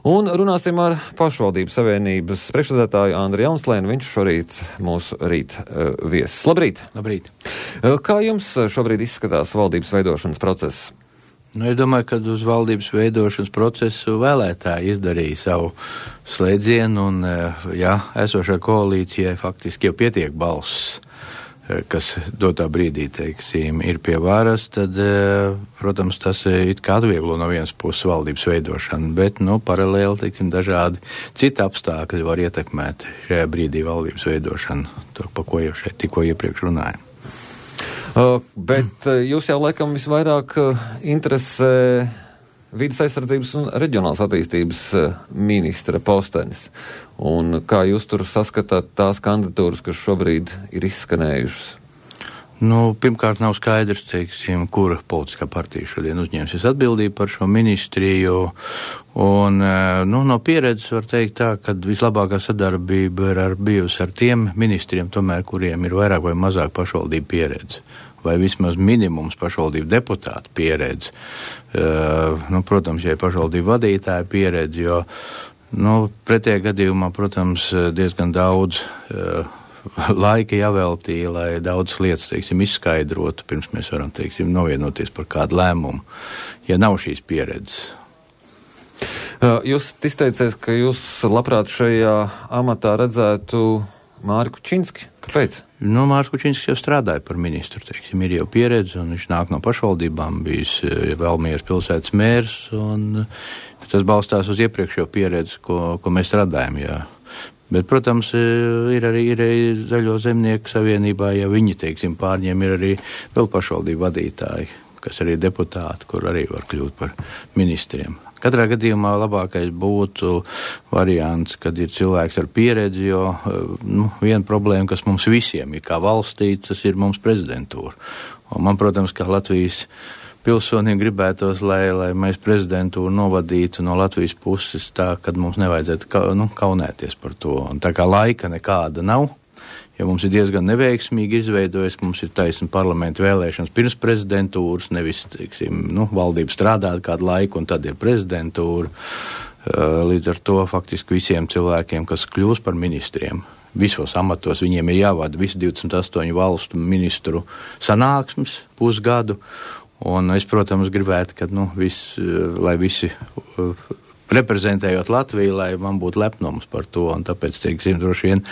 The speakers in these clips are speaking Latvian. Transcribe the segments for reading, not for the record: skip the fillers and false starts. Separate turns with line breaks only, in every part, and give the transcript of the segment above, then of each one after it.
Un runāsim ar pašvaldību savienības priekšsēdētāju Andri Jaunslēnu. Viņš šorīt mūsu rīt viesis. Labrīt!
Labrīt!
Kā jums šobrīd izskatās valdības veidošanas process?
Es domāju, ka uz valdības veidošanas procesu vēlētāji izdarīja savu slēdzienu un, esošā koalīcijai faktiski jau pietiek balss, kas dotā brīdī, teiksim, ir pie varas, tad, protams, tas it kā atvieglo no vienas puses valdības veidošanu, bet, paralēli, teiksim, dažādi citi apstākļi var ietekmēt šajā brīdī valdības veidošanu, to, pa ko jau šeit tikko iepriekš runājam.
Bet jūs jau laikam visvairāk interesē vides aizsardzības un reģionālās attīstības ministra postenis. Un kā jūs tur saskatāt tās kandidatūras, kas šobrīd ir izskanējušas?
Pirmkārt nav skaidrs, teiksim, kura politiskā partija šodien uzņemsies atbildību par šo ministriju. Un, no pieredzes var teikt tā, ka vislabākā sadarbība ir bijusi ar tiem ministriem, tomēr, kuriem ir vairāk vai mazāk pašvaldību pieredze. Vai vismaz minimums pašvaldību deputātu pieredze. Protams, ja ir pašvaldību vadītāja pieredze, jo, pretējā gadījumā, protams, diezgan daudz laika jāveltīja, lai daudz lietas, teiksim, izskaidrotu, pirms mēs varam, teiksim, novienoties par kādu lēmumu, ja nav šīs pieredzes.
Jūs izteicies, ka jūs labprāt šajā amatā redzētu Māri Kučinski. Kāpēc?
Māris Kučinskis jau strādāja par ministru, teiksim, ir jau pieredze, un viņš nāk no pašvaldībām, bijis Valmieras pilsētas mērs, un tas balstās uz iepriekšējo pieredzi, ko mēs strādājam, jā. Bet, protams, ir arī Zaļo zemnieku savienībā, ja viņi, teiksim, pārņem, ir arī vēl pašvaldību vadītāji, kas arī deputāti, kur arī var kļūt par ministriem. Katrā gadījumā labākais būtu variants, kad ir cilvēks ar pieredzi, jo viena problēma, kas mums visiem ir kā valstī, tas ir mums prezidentūra. Un man, protams, kā Latvijas pilsoniem gribētos, lai mēs prezidentūru novadītu no Latvijas puses tā, kad mums nevajadzētu kaunēties par to. Un tā kā laika nekāda nav, jo mums ir diezgan neveiksmīgi izveidojies, ka mums ir taisna parlamenta vēlēšanas pirms prezidentūras, nevis, teiksim, valdība strādāt kādu laiku un tad ir prezidentūra. Līdz ar to faktiski visiem cilvēkiem, kas kļūs par ministriem, visos amatos, viņiem ir jāvada visi 28 valstu ministru sanāksmes pusgadu. Un es, protams, gribētu, ka lai visi reprezentējot Latviju, lai man būtu lepnums par to, un tāpēc, teiksim, droši vien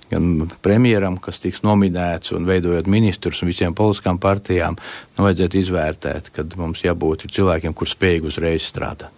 gan premjeram, kas tiks nominēts un veidojot ministrus un visiem politiskām partijām, vajadzētu izvērtēt, kad mums jābūt cilvēkiem, kur spējīgi uzreiz strādāt.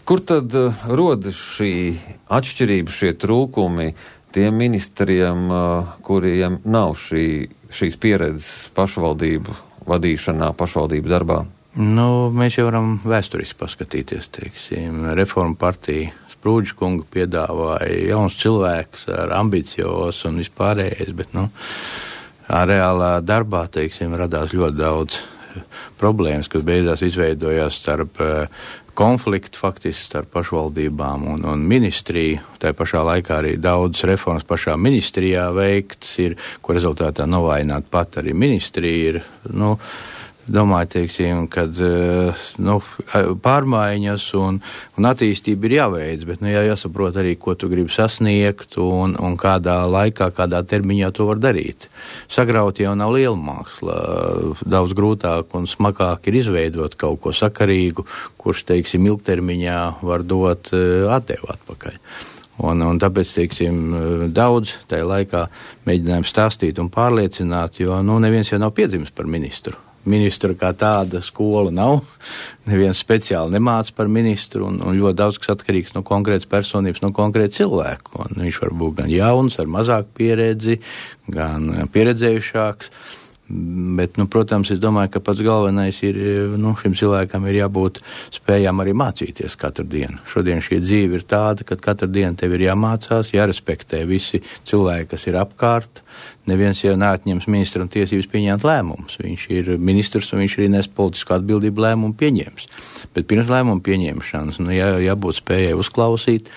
Kur tad rodas šī atšķirība, šie trūkumi tiem ministriem, kuriem nav šīs pieredzes pašvaldību vadīšanā, pašvaldību darbā?
Mēs jau varam vēsturiski paskatīties, teiksim, Reformu partija Sprūdža kunga piedāvāja jauns cilvēks ar ambicios un vispārējais, bet, reālā darbā, teiksim, radās ļoti daudz problēmas, kas beidzās izveidojās starp konfliktu faktiski starp pašvaldībām un ministriju. Tā pašā laikā arī daudz reformas pašā ministrijā veikts ir, ko rezultātā novājināt pat arī ministrija ir, domāju, teiksim, kad pārmaiņas un attīstība ir jāveic, bet jāsaprot arī, ko tu gribi sasniegt un kādā laikā, kādā termiņā to var darīt. Sagraut jau nav liela māksla, daudz grūtāk un smagāk ir izveidot kaut ko sakarīgu, kurš, teiksim, ilgtermiņā var dot atdevu atpakaļ. Un tāpēc, teiksim, daudz tajā laikā mēģinājām stāstīt un pārliecināt, jo, neviens jau nav piedzimis par ministru. Ministra kā tāda skola nav, neviens speciāli nemāca par ministru, un ļoti daudz kas atkarīgs no konkrētas personības, no konkrēta cilvēku. Un viņš var būt gan jauns, ar mazāku pieredzi, gan pieredzējušāks. Bet, protams, es domāju, ka pats galvenais ir, šim cilvēkam ir jābūt spējām arī mācīties katru dienu. Šodien šī dzīve ir tāda, ka katru dienu tev ir jāmācās, jārespektē visi cilvēki, kas ir apkārt. neviens jau neatņems ministram tiesības pieņemt lēmumus. Viņš ir ministrs un viņš arī nes politisku atbildību lēmumu pieņems. Bet pirms lēmumu pieņemšanas jābūt spējai uzklausīt,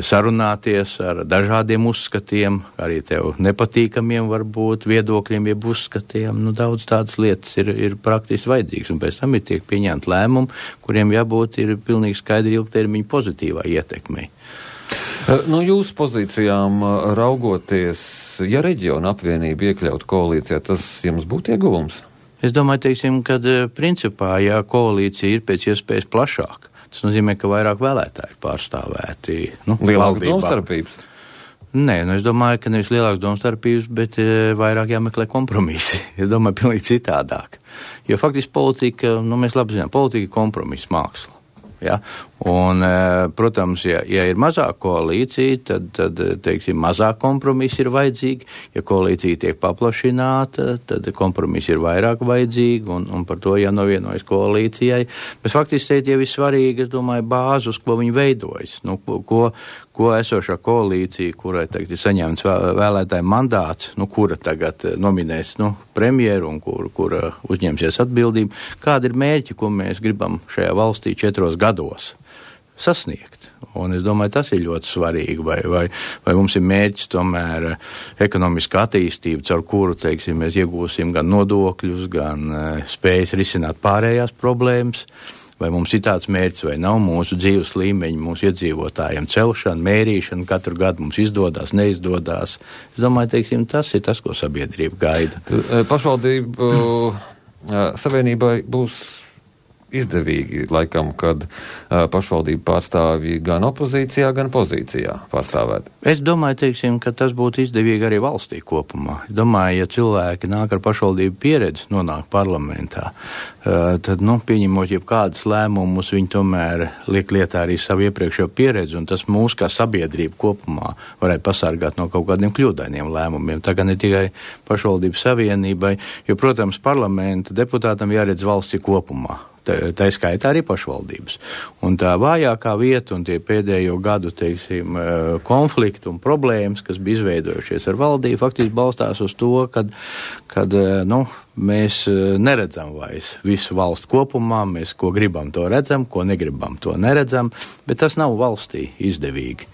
sarunāties ar dažādiem uzskatiem, arī tev nepatīkamiem varbūt viedokļiem, jeb uzskatiem. Daudz tādas lietas ir praktiski vajadzīgas, un pēc tam ir tiek pieņemt lēmumi, kuriem jābūt ir pilnīgi skaidri ilgtermiņa pozitīvā ietekmei.
No jūsu pozīcijām raugoties, ja reģiona apvienība iekļautu koalīcijā, tas jums būtu ieguvums?
Es domāju, teiksim, kad principā, ja koalīcija ir pēc iespējas plašāka, tas nozīmē, ka vairāk vēlētāji pārstāvēti.
Lielākas domstarpības?
Nē, es domāju, ka nevis lielākas domstarpības, bet vairāk jāmeklē kompromisi. Es domāju, pilnīgi citādāk. Jo faktiski politika, mēs labi zinām, politika ir kompromisa māksla. Ja? Un, protams, ja ir mazāk koalīcija, tad teiksim, mazāk kompromisi ir vajadzīgi. Ja koalīcija tiek paplašināta, tad kompromisi ir vairāk vajadzīgi, un par to jānovienojas koalīcijai. Bet faktiski šeit jau ir svarīgi, es domāju, bāzi, uz ko viņi veidojas. Ko esošā koalīcija, kurai tagad ir saņemts vēlētāju mandāts, kura tagad nominēs premjeru un kura uzņemsies atbildību, kāda ir mērķi, ko mēs gribam šajā valstī 4 gados sasniegt. Un es domāju, tas ir ļoti svarīgi, vai mums ir mērķis tomēr ekonomiska attīstība, caur kuru, teiksim, mēs iegūsim gan nodokļus, gan spējas risināt pārējās problēmas. Vai mums ir tāds mērķis, vai nav mūsu dzīves līmeņi, mūsu iedzīvotājiem celšana, mērīšana, katru gadu mums izdodas, neizdodas. Es domāju, teiksim, tas ir tas, ko sabiedrība gaida.
Pašvaldību savienībai būs izdevīgi, laikam, kad pašvaldību pārstāvji gan opozīcijā, gan pozīcijā pārstāvēt. Es
domāju, teiksim, ka tas būtu izdevīgi arī valstī kopumā. Es domāju, ja cilvēki nāk ar pašvaldību pieredzi, nonāk parlamentā, tad, pieņemot jebkādas lēmumus, viņi tomēr liek lietā arī savu iepriekšējo pieredzi, un tas mūs kā sabiedrība kopumā varētu pasargāt no kaut kādiem kļūdainiem lēmumiem. Tā kā ne tikai pašvaldību savienībai, jo, protams, parlamenta deputātam jāredz valsti kopumā. Tā skaitā arī pašvaldības. Un tā vājākā vieta un tie pēdējo gadu, teiksim, konflikti un problēmas, kas bija izveidojušies ar valdību, faktiski balstās uz to, kad mēs neredzam vairs visu valstu kopumā, mēs ko gribam to redzam, ko negribam to neredzam, bet tas nav valstī izdevīgi.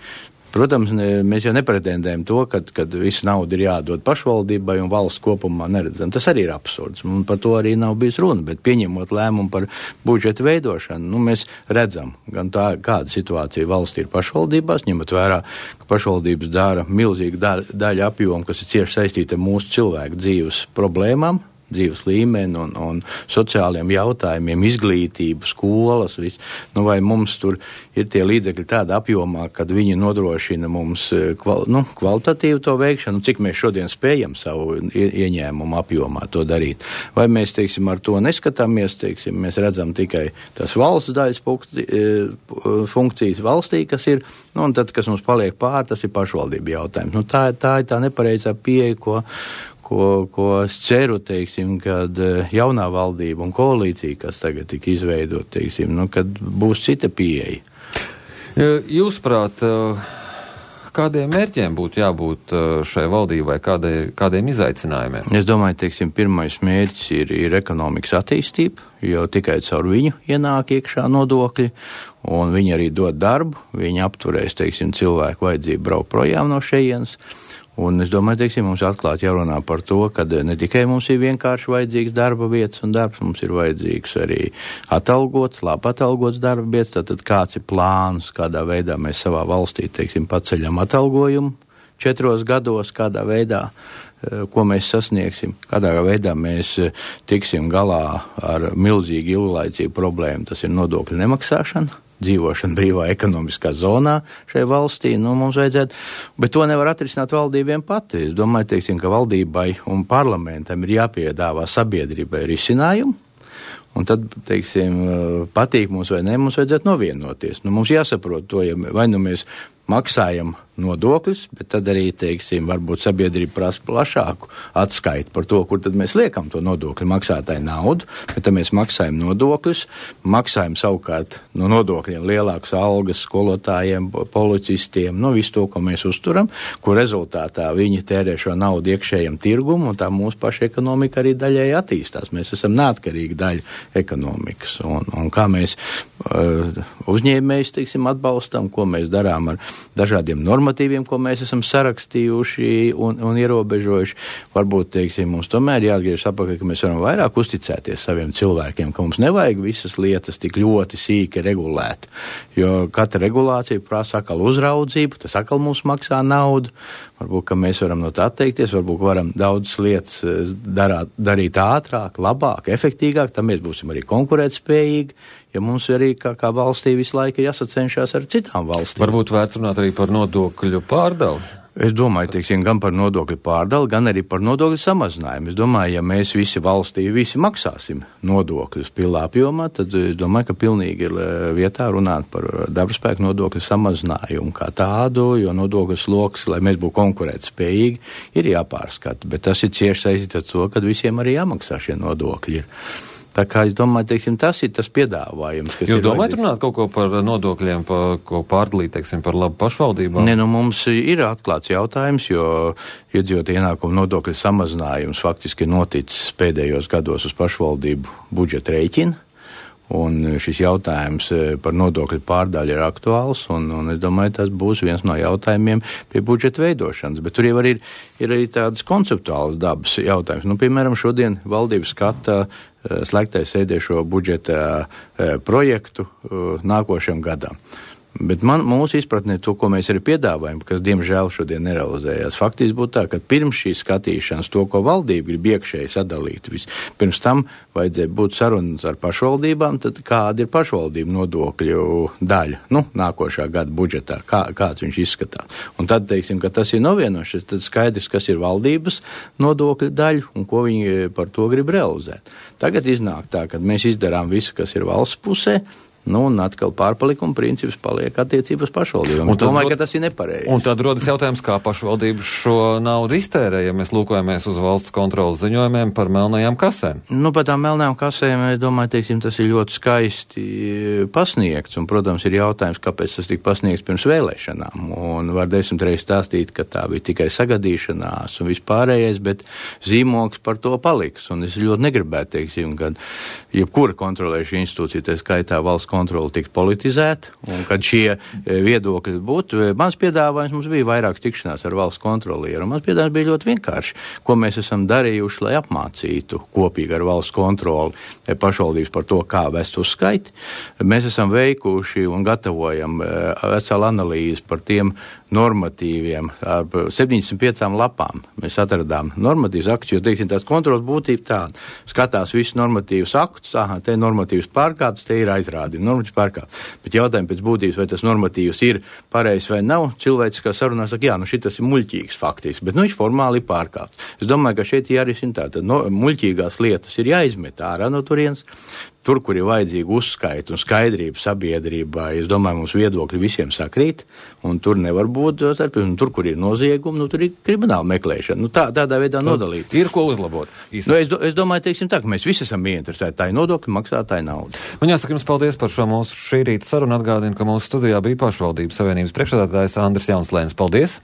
Protams, mēs jau nepretendējam to, kad visu naudu ir jādod pašvaldībai un valsts kopumā neredzam. Tas arī ir absurds, un par to arī nav bijis runa, bet pieņemot lēmumu par budžeta veidošanu, mēs redzam gan tā, kāda situācija valstī ir pašvaldībās, ņemot vērā, ka pašvaldības dara milzīgu daļu apjomu, kas ir cieši saistīta ar mūsu cilvēku dzīves problēmām, dzīves līmeni un sociāliem jautājumiem, izglītību, skolas, viss. Vai mums tur ir tie līdzekļi tāda apjomā, kad viņi nodrošina mums kvalitatīvu to veikšanu, cik mēs šodien spējam savu ieņēmumu apjomā to darīt. Vai mēs, teiksim, ar to neskatāmies, teiksim, mēs redzam tikai tas valsts daļas funkcijas valstī, kas ir, un tad, kas mums paliek pār, tas ir pašvaldība jautājums. Tā ir tā nepareizā pieeja, ko es ceru, teiksim, kad jaunā valdība un koalīcija, kas tagad tika izveidot, teiksim, kad būs cita pieeja.
Jūsuprāt, kādiem mērķiem būtu jābūt šai valdībai, kādiem izaicinājumiem?
Es domāju, teiksim, pirmais mērķis ir ekonomikas attīstība, jo tikai caur viņu ienāk iekšā nodokļi, un viņi arī dod darbu, viņi apturēs, teiksim, cilvēku vajadzību braukt projām no šejienes. Un es domāju, teiksim, mums atklāti jārunā par to, ka ne tikai mums ir vienkārši vajadzīgs darba vietas un darbs, mums ir vajadzīgs arī labi atalgots darba vietas, tātad kāds ir plāns, kādā veidā mēs savā valstī, teiksim, paceļam atalgojumu 4 gados, kādā veidā, ko mēs sasniegsim, kādā veidā mēs tiksim galā ar milzīgu ilglaicīgu problēmu, tas ir nodokļu nemaksāšana. Dzīvošana brīvā ekonomiskā zonā šai valstī, mums vajadzētu, bet to nevar atrisināt valdībiem pati. Es domāju, teiksim, ka valdībai un parlamentam ir jāpiedāvā sabiedrībai risinājumu, un tad, teiksim, patīk mums vai ne, mums vajadzētu novienoties. Mums jāsaprot to, ja vai mēs maksājam nodokļus, bet tad arī, teiksim, varbūt sabiedrība prasa plašāku atskaitu par to, kur tad mēs liekam to nodokļu maksātāju naudu, bet tad mēs maksājam nodokļus, maksājam savukārt no nodokļiem lielākas algas skolotājiem, policistiem, visu to, ko mēs uzturam, kur rezultātā viņi tērē šo naudu iekšējam tirgumu, un tā mūsu paša ekonomika arī daļai attīstās. Mēs esam neatkarīgi daļa ekonomikas, un kā mēs uzņēmējus, teiksim, atbalstam, ko mēs darām ar dažādiem normatīviem, ko mēs esam sarakstījuši un ierobežojuši. Varbūt, teiksim, mums tomēr jāatgriežas atpakaļ, ka mēs varam vairāk uzticēties saviem cilvēkiem, ka mums nevajag visas lietas tik ļoti sīki regulēt, jo katra regulācija prasa atkal uzraudzību, tas atkal mums maksā naudu. Varbūt, ka mēs varam no tā atteikties, varbūt varam daudzas lietas darīt ātrāk, labāk, efektīgāk, tad mēs būsim arī konkurētspējīgi, ja mums arī kā valstī visu laiku ir jāsacenšās ar citām valstīm.
Varbūt vērts runāt arī par nodokļu pārdali.
Es domāju, teiksim, gan par nodokļu pārdali, gan arī par nodokļu samazinājumu. Es domāju, ja mēs visi valstī maksāsim nodokļus pilnā apjomā, tad es domāju, ka pilnīgi ir vietā runāt par darbaspēku nodokļu samazinājumu kā tādu, jo nodokļu sloks, lai mēs būtu konkurētspējīgi, ir jāpārskata. Bet tas ir cieši saistīts ar to, ka visiem arī jāmaksā šie nodokļi ir. Tā kā es domāju, teiksim, tas ir tas piedāvājums, kas
Jūs domājat runāt kaut ko par nodokļiem, ko pārdalīt, teiksim, par labu pašvaldībām?
Ne, mums ir atklāts jautājums, jo iedzīvotāju ienākumu nodokļu samazinājums faktiski ir noticis pēdējos gados uz pašvaldību budžeta rēķina. Un šis jautājums par nodokļu pārdaļu ir aktuāls, un es domāju, tas būs viens no jautājumiem pie budžeta veidošanas. Bet tur jau ir arī tādas konceptuālas dabas jautājums. Piemēram, šodien valdības skata slēgtais sēdēšo budžeta projektu nākošajam gadam. Bet mūsu izpratnē to, ko mēs arī piedāvājam, kas diemžēl šodien nerealizējās, faktiski būtu tā, ka pirms šīs skatīšanas to, ko valdība grib iekšēji sadalīt, pirms tam vajadzēja būt sarunas ar pašvaldībām, tad kāda ir pašvaldību nodokļu daļa, nākošā gada budžetā, kāds viņš izskatās. Un tad, teiksim, ka tas ir novienošs, tad skaidrs, kas ir valdības nodokļu daļa un ko viņi par to grib realizēt. Tagad iznāk tā, ka mēs izdarām visu, kas ir valsts pusē, un atkal pārpalikuma princips paliek attiecības pašvaldībām. Es domāju, ka tas ir nepareizi.
Un tad rodas jautājums, kā pašvaldības šo naudu iztērē, ja mēs lūkojamies uz valsts kontrolas ziņojumiem par melnajām kasēm.
Par tām melnajām kasēm, es domāju, teiksim, tas ir ļoti skaisti pasniegts, un, protams, ir jautājums, kāpēc tas tika pasniegts pirms vēlēšanām. Un var 10 reizes stāstīt, ka tā bija tikai sagadīšanās un vispārējais, bet zīmogs par to paliks. Un es ļoti negribētu, teiksim, kad jebkura kontrolējuša institūcija, tā skaitā valsts kontrola tika politizēta, un kad šie viedokļi būtu, mans piedāvājums mums bija vairākas tikšanās ar valsts kontrolieru, un mans piedāvājums bija ļoti vienkārši, ko mēs esam darījuši, lai apmācītu kopīgi ar valsts kontroli pašvaldības par to, kā vest uzskaiti. Mēs esam veikuši un gatavojam veselu analīzi par tiem normatīviem, ar 75 lapām. Mēs atradām normatīvas aktus, jo, teiksim, tās kontrolas būtība tāda. Skatās visus normatīvus aktus, te normatīvas pārkāptas, te ir aizrādi, normatīvas pārkāptas. Bet jautājumi pēc būtības, vai tas normatīvs ir pareizs vai nav, cilvēciskā sarunā saka, jā, šitas ir muļķīgs faktiski, bet viņš formāli ir pārkāpts. Es domāju, ka šeit jārisina tā, tad muļķīgās lietas ir jāizmet ārā no turienes. Tur, kur ir vajadzīga uzskaita un skaidrība sabiedrībā, es domāju, mums viedokļi visiem sakrīt, un tur nevar būt, un tur, kur ir noziegumi, tur ir krimināla meklēšana. Tādā veidā nodalīt.
Ir ko uzlabot.
Es domāju, teiksim tā, ka mēs visi esam ieinteresēti tā ir nodokļu maksātāju naudu.
Un jāsaka jums paldies par šo mūsu šī rīta sarunu. Atgādinu, ka mūsu studijā bija pašvaldības savienības priekšsēdētājs Andris Jaunslēns. Paldies!